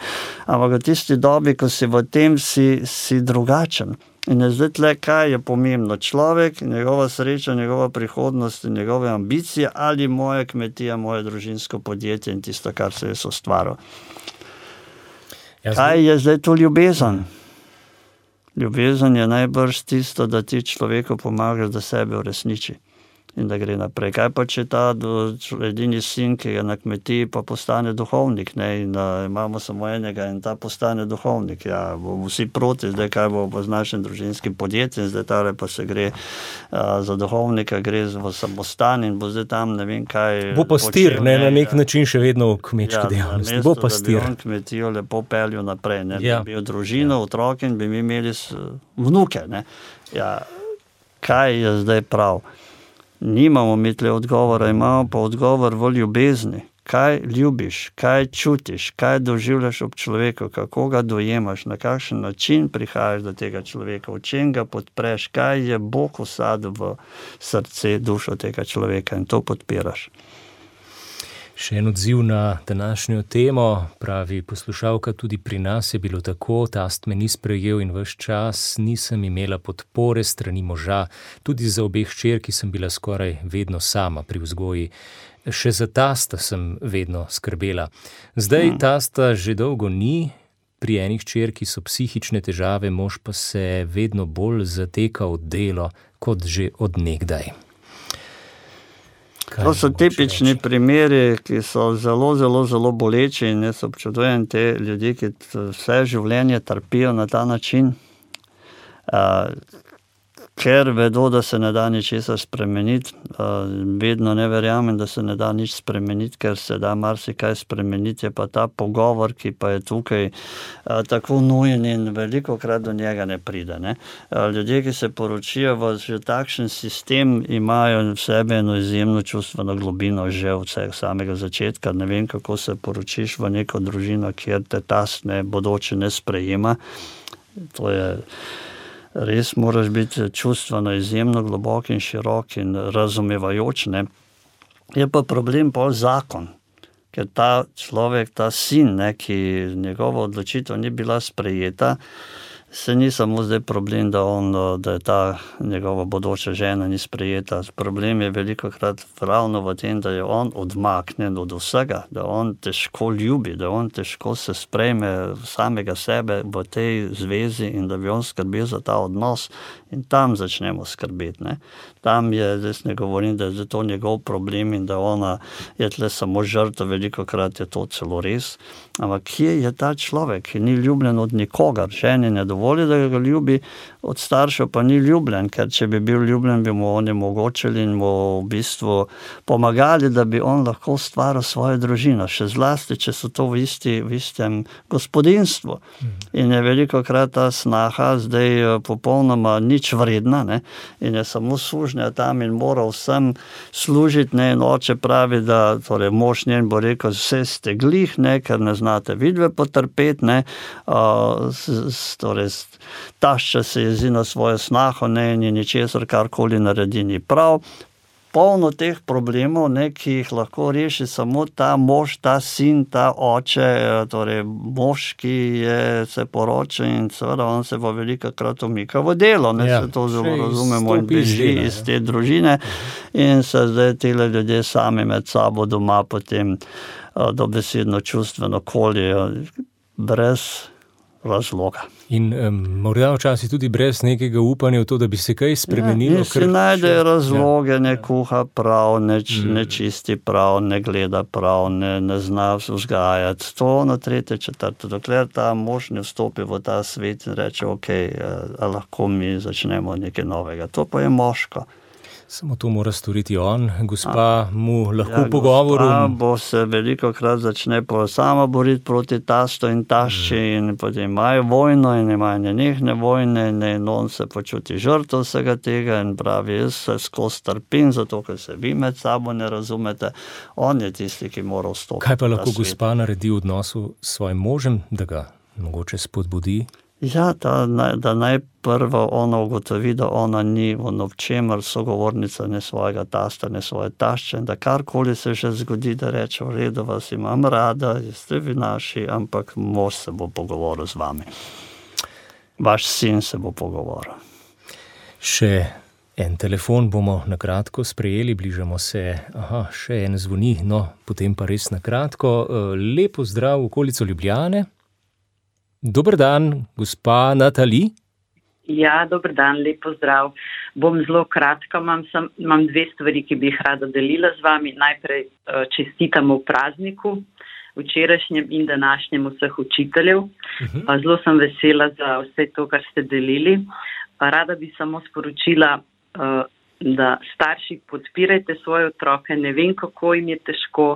Ampak v tisti dobi, ko si v tem, si drugačen. In je zdaj tle, kaj je pomembno? Človek, njegova sreča, njegova prihodnost in njegove ambicije ali moja kmetija, moje družinsko podjetje in tisto, kar se je ustvaril. Kaj je zdaj to ljubezen? Ljubezen je najbrž tisto, da ti človeku pomagaš, da sebe uresniči in da gre naprej. Kaj pa, če ta edini sin, ki je na kmetiji, pa postane duhovnik, in imamo samo enega in ta postane duhovnik. Bomo vsi proti, zdaj kaj bo z našim družinskim podjetjem, zdaj tale pa se gre za duhovnika, gre v samostan in bo zdaj tam ne vem kaj...
Bo pastir, na nek način še vedno v kmečki dejavnosti. Bo pastir.
Da bi on kmetijo lepo peljal naprej, bi bil družino, otroke in bi mi imeli vnuke, Kaj je zdaj prav? Nimamo mi tle odgovora, imamo pa odgovor v ljubezni. Kaj ljubiš, kaj čutiš, kaj doživljaš ob človeku, kako ga dojemaš, na kakšen način prihajaš do tega človeka, v čem ga podpreš, kaj je Bog vsadil v srce, dušo tega človeka in to podpiraš.
Še en odziv na današnjo temo, pravi poslušalka, tudi pri nas je bilo tako, tast me ni sprejel in ves čas nisem imela podpore strani moža, tudi za obeh hčerki sem bila skoraj vedno sama pri vzgoji. Še za tasta sem vedno skrbela. Zdaj tasta že dolgo ni, pri eni hčerki so psihične težave, mož pa se vedno bolj zateka v delo, kot že od nekdaj.
To so tipični primeri, ki so zelo, zelo, zelo boleči in jaz občudujem te ljudi, ki vse življenje trpijo na ta način. ker vedo, da se ne da ničesar spremeniti. Vedno ne verjamem, da se ne da nič spremeniti, ker se da marsikaj spremeniti, je pa ta pogovor, ki pa je tukaj tako nujen in velikokrat do njega ne pride. Ne? Ljudje, ki se poročijo v že takšen sistem, imajo v sebi eno izjemno čustveno globino že od samega začetka. Ne vem, kako se poročiš v neko družino, kjer te tast bodoče ne sprejema. To je res, moraš biti čustveno izjemno globok in širok in razumevajoč. Ne? Je pa problem pol zakon, ker ta človek, ta sin, ki njegova odločitev ni bila sprejeta, se ni samo zdaj problem, da je ta njegova bodoča žena ni sprejeta. Problem je velikokrat ravno v tem, da je on odmaknjen od vsega, da on težko ljubi, da on težko se sprejme samega sebe v tej zvezi in da bi on skrbel za ta odnos in tam začnemo skrbeti. Ne? Tam je, zdaj ne govorim, da je to njegov problem in da ona je tle samo žrtev, velikokrat je to celo res. Ampak kje je ta človek, ki ni ljubljen od nikogar? Ženi ne dovoli, da ga ljubi, od staršev pa ni ljubljen, ker če bi bil ljubljen, bi mu oni omogočili in mu v bistvu pomagali, da bi on lahko stvaral svojo družino, še zlasti, če so to v istem gospodinstvu. In je velikokrat ta snaha zdaj popolnoma nič vredna, ne? In je samo sužnja tam in mora vsem služiti, ne? In oče pravi, da torej mož njen bo rekel, vse ste glih, ne? Ker ne znate vidve potrpeti, ne? Torej tašča se jezi na svojo snaho, ne, in ničesar karkoli naredi ni prav. Polno teh problemov, ne, ki jih lahko reši samo ta mož, ta sin, ta oče, torej mož, ki se poroča in seveda on se bo velikokrat umika v delo, ne, se to zelo razumemo in beži iz te družine in se zdaj tile ljudje sami med sabo doma potem dobesedno čustveno koljejo brez razloga.
In morda včasih tudi brez nekega upanja v to, da bi se kaj spremenilo.
Ja, si najde razloge, ne kuha prav, ne čisti prav, ne gleda prav, ne zna vzgajati. To na tretje, četrte, dokler ta mož ne vstopi v ta svet in reče, ok, lahko mi začnemo nekaj novega. To pa je moško.
Samo to mora storiti on, gospa mu lahko v pogovoru.
Gospa bo se velikokrat začne sama boriti proti tastu in tašči in potem imajo vojno in imajo nenehne vojne in on se počuti žrtev vsega tega in pravi, jaz se skozi trpim, zato ker se vi med sabo ne razumete. On je tisti, ki mora vstopiti.
Kaj pa lahko gospa naredi v odnosu s svojim možem, da ga mogoče spodbudi?
Ja, da najprvo ona ugotovi, da ona ni v čemer sogovornica ne svojega tasta, ne svoje tašče, da karkoli se že zgodi, da reče, v redu, vas imam rada, ste vi naši, ampak mož se bo pogovoril z vami. Vaš sin se bo pogovoril.
Še en telefon bomo na kratko sprejeli, bližamo se, še en zvoni, no, potem pa res na kratko. Lepo zdrav v okolico Ljubljane. Dober dan, gospa Natali.
Ja, dober dan, lepo zdrav. Bom zelo kratka, imam dve stvari, ki bi jih rada delila z vami. Najprej čestitamo v prazniku, včerajšnjem in današnjem vseh učiteljev. Zelo sem vesela za vse to, kar ste delili. Rada bi samo sporočila, da starši podpirajte svoje otroke, ne vem, kako jim je težko,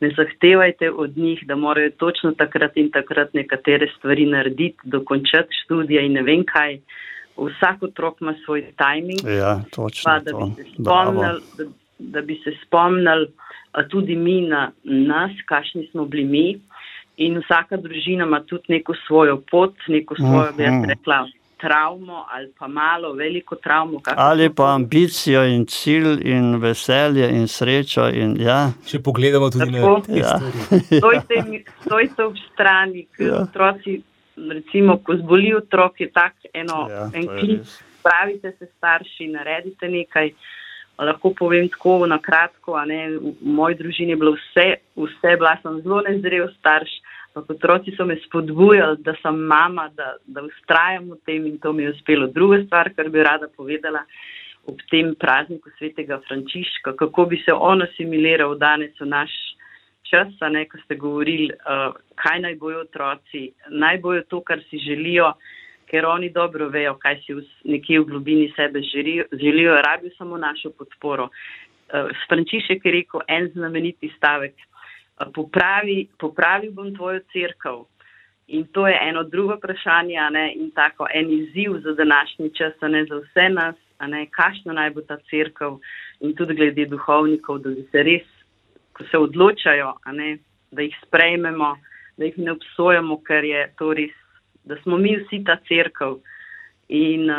ne zahtevajte od njih, da morajo točno takrat in takrat nekatere stvari narediti, dokončati študija in ne vem kaj. Vsak otrok ima svoj timing.
Ja, točno
pa, da bi se spomnili tudi mi na nas, kakšni smo bili mi, in vsaka družina ima tudi neko svojo pot, neko svojo, bi jaz rekla, travmo ali pa malo, veliko travmo.
Ali pa ambicijo in cilj in veselje in srečo. In, ja.
Če pogledamo tudi na te stvari.
Stojte ob strani, ker otroci, recimo, ko zboli otrok, je tak en klic, spravite se starši, naredite nekaj. Lahko povem tako na kratko, v moji družini je bilo vse, bila sem zelo nezrel starš, otroci so me spodbujali, da sem mama, da vztrajam v tem in to mi je uspelo. Druga stvar, kar bi rada povedala ob tem prazniku svetega Frančiška, kako bi se on asimiliral danes v naš čas, ko ste govorili, kaj naj bojo otroci, naj bojo to, kar si želijo, ker oni dobro vejo, kaj si nekje v globini sebe želijo, rabijo samo našo podporo. Frančišek je rekel en znameniti stavek, popravil bom tvojo cerkev. In to je eno drugo vprašanje, in tako en izziv za današnji čas, za vse nas, kakšna naj bo ta cerkev in tudi glede duhovnikov, da bi se res, ko se odločajo, da jih sprejmemo, da jih ne obsojamo, ker je to res, da smo mi vsi ta cerkev. In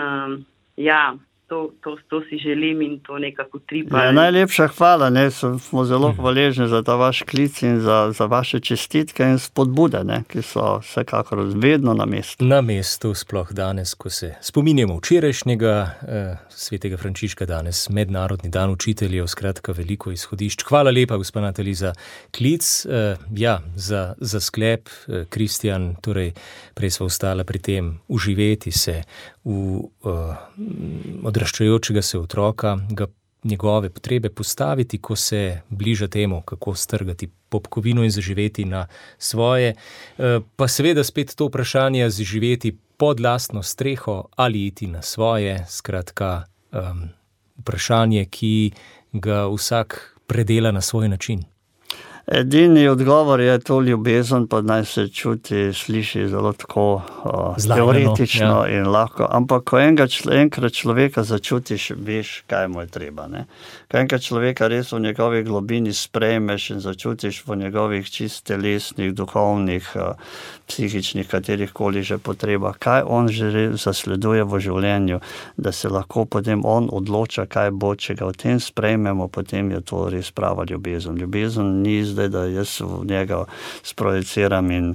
to si želim in to nekako tripa.
Ja, najlepša hvala, smo zelo hvaležni za ta vaš klic in za vaše čestitke in spodbude, ki so vsekakor vedno na mestu.
Na mestu, sploh danes, ko se spominjamo včerajšnjega svetega Frančiška, danes mednarodni dan učiteljev, skratka veliko izhodišč. Hvala lepa, gospa Natalija, za klic. Za sklep, Kristjan, torej prej sva ostala pri tem uživeti se v odraščajočega se otroka, njegove potrebe postaviti, ko se bliža temu, kako strgati popkovino in zaživeti na svoje. Pa seveda spet to vprašanje, zaživeti pod lastno streho ali iti na svoje, skratka vprašanje, ki ga vsak predela na svoj način.
Edini odgovor je to ljubezen, pa naj se čuti, sliši zelo tako teoretično in lahko. Ampak ko enkrat človeka začutiš, veš, kaj mu je treba. Ko enkrat človeka res v njegovi globini sprejmeš in začutiš v njegovih čist telesnih, duhovnih, psihičnih, katerihkoli že potreba, kaj on že zasleduje v življenju, da se lahko potem on odloča, kaj bo, če ga v tem sprejmemo, potem je to res prava ljubezen. Ljubezen ni zdaj, da jaz v njega sprojeciram in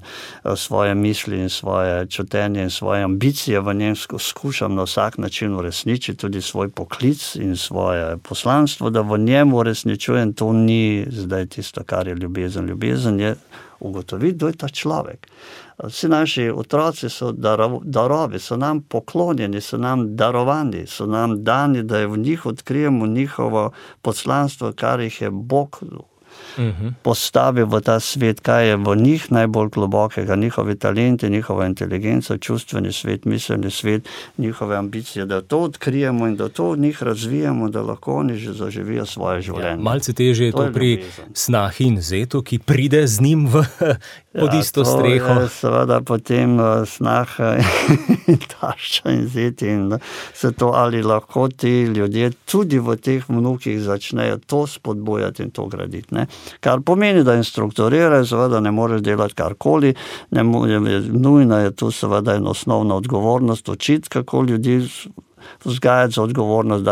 svoje misli in svoje čutenje in svoje ambicije v njem skušam na vsak način uresničiti, tudi svoj poklic in svoje poslanstvo, da v njem uresničujem, to ni zdaj tisto, kar je ljubezen. Ljubezen je ugotoviti, kdo je ta človek. Vsi naši otroci so darovi, so nam poklonjeni, so nam darovani, so nam dani, da je v njih odkrijemo njihovo poslanstvo, kar jih je Bog postavil v ta svet, kaj je v njih najbolj globokega, njihovi talenti, njihova inteligenca, čustveni svet, miselni svet, njihove ambicije, da to odkrijemo in da to v njih razvijamo, da lahko oni že zaživijo svoje življenje.
Malce težje je to pri snahi in zetu, ki pride z njim pod isto streho.
To je seveda potem snaha in tašča in zeti in se to, ali lahko ti ljudje tudi v teh vnukih začnejo to spodbujati in to graditi. Kar pomeni, da jim strukturirajo, seveda ne moreš delati karkoli, nujna je tu seveda ena osnovna odgovornost, učiti, kako ljudi vzgajati za odgovornost,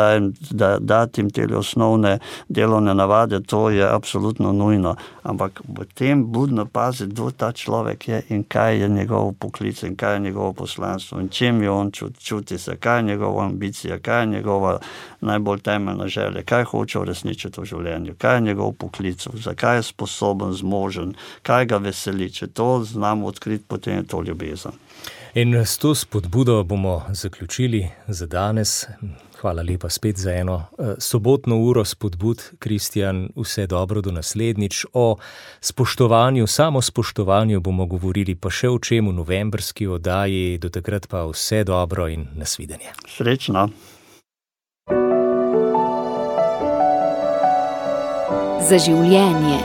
dati jim te osnovne delovne navade, to je absolutno nujno. Ampak v tem budno paziti, kdo ta človek je in kaj je njegov poklic in kaj je njegovo poslanstvo in čem je on čuti se, kaj je njegova ambicija, kaj je njegova najbolj temeljna želja, kaj hoče uresničiti v življenju, kaj je njegov poklic, zakaj je sposoben, zmožen, kaj ga veseli. Če to znamo odkriti, potem je to ljubezen.
In s to spodbudo bomo zaključili za danes. Hvala lepa spet za eno sobotno uro spodbud. Kristjan, vse dobro do naslednjič. O spoštovanju, samospoštovanju bomo govorili pa še o čem v novembrski oddaji. Do takrat pa vse dobro in nasvidenje.
Srečno.
Za življenje.